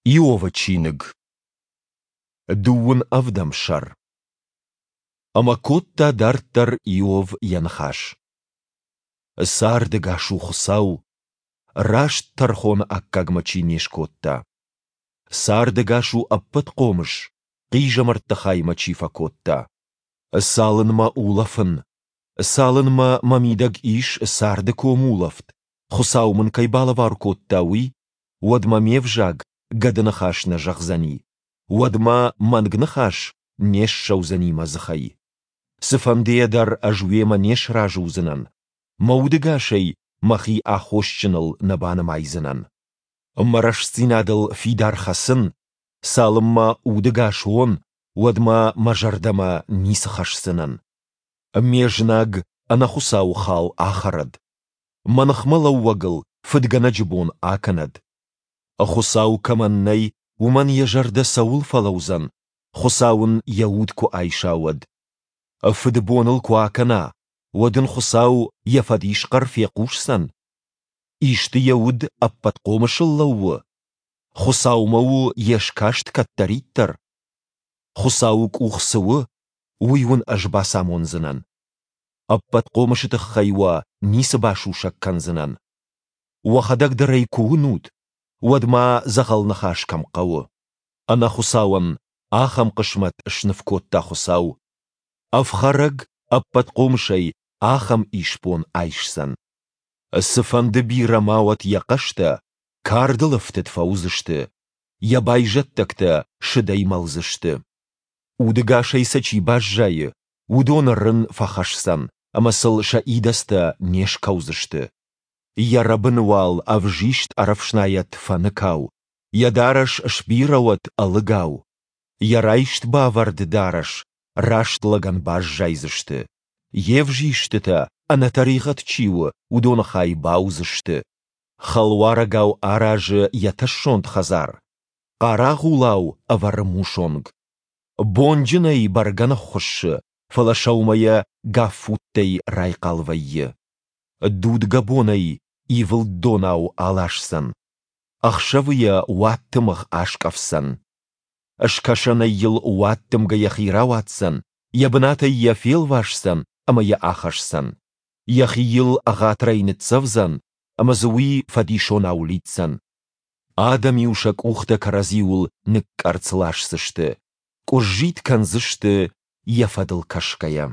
Иовы чиныг, дыууын ӕвдӕм сӕр. Ӕмӕ кодта дарддӕр Иов йӕ ныхас. Цардӕгас у Хуыцау, раст тӕрхоны аккаг мӕ чи не скодта. Цардӕгас у Ӕппӕтхъомыс, хъизӕмӕртты хай мӕ чи фӕкодта. Цалынмӕ улӕфын, цалынмӕ мӕ мидӕг ис царды комулӕфт, Хуыцау мын кӕй балӕвар кодта, уый, уӕдмӕ ме взаг гӕдыныхас нӕ зӕгъдзӕни, уӕдмӕ мӕнг ныхас не ссӕудзӕни мӕ дзыхӕй. Цыфӕндыйӕ дӕр ӕз уемӕ не сразы уыдзынӕн, мӕ удыгасӕй мӕхи аххосджыныл нӕ банымайдзынӕн. Мӕ рӕстдзинадыл фидар хӕцын, цалынмӕ удыгас уон, уӕдмӕ мӕ зӕрдӕмӕ ницы хӕсдзынӕн. Ме знаг ӕнӕхуыцауы хал ахӕрӕд, мӕ ныхмӕлӕууӕгыл фыдгӕнӕджы бон акӕнӕд. Хуыцау кӕмӕн нӕй, уымӕн йӕ зӕрдӕ цӕуыл фӕлӕудзӕн, Хуыцау ын йӕ уд куы айса, уӕд? Фыдбон ыл куы акӕна, уӕд ын Хуыцау йӕ фӕдисхъӕр фехъусдзӕн? Исты йӕ уд ӕппӕтхъомысыл лӕууы? Хуыцаумӕ у йе скаст кӕддӕриддӕр? Хуыцауы къух цы у, уый уын ӕз бацамондзынӕн. Ӕппӕтхъомысы тыххӕй уӕ ницы басусӕг кӕндзынӕн. Уӕхӕдӕг дӕр ӕй куы уынут, уӕд ма дзӕгъӕл ныхас кӕм хъӕуы. Ӕнӕхуыцауӕн ахӕм хъысмӕт сныв кодта Хуыцау. Ӕфхӕрӕг ӕппӕтхъомысӕй ахӕм исбон айсдзӕн. Цыфӕнды бирӕ ма уӕд йӕ хъӕстӕ, кардыл ӕфтыд фӕуыдзысты, йӕ байзӕддӕгтӕ сыдӕй мӕлдзысты. Удыгасӕй сӕ чи баззайы, уыдоны рын фӕхӕсдзӕн, ӕмӕ сыл сӕ идӕдзтӕ не скӕудзысты. Йӕ рӕбыны уал ӕвзист ӕрӕфснайӕд фӕныкау, йӕ дарӕс сбирӕ уӕд ӕлыгау. Йӕ райст-бавӕрд дарӕс раст лӕгӕн баззайдзысты. Йе взистытӕ, ӕнӕтӕригъӕд чи у, уыдоны хай бауыдзысты. Хӕлуарӕгау аразы йӕ тӕссонд хӕдзар, хъарагъулау ӕвӕры мусонг. Бонджынӕй бӕргӕ ныххуыссы, фӕлӕ сӕумӕйӕ гаффуттӕй райхъал вӕййы. Дудгӕ бонӕй ивылд донау аласдзӕн, ӕхсӕвы йӕ уадтымыгъ аскъӕфдзӕн. Скӕсӕнӕй йыл уаддымгӕ йӕхи рауадздзӕн, йӕ бынатӕй йӕ фелвасдзӕн ӕмӕ йӕ ахӕсдзӕн. Йӕхи йыл ӕгъатырӕй ныццӕвдзӕн, ӕмӕ дзы уый фӕдисонау лидздзӕн. Адӕм-иу сӕ къухтӕ кӕрӕдзиуыл ныкъкъӕрцц ласдзысты, къуыззитт кӕндзысты йӕ фӕдыл кӕсгӕйӕ.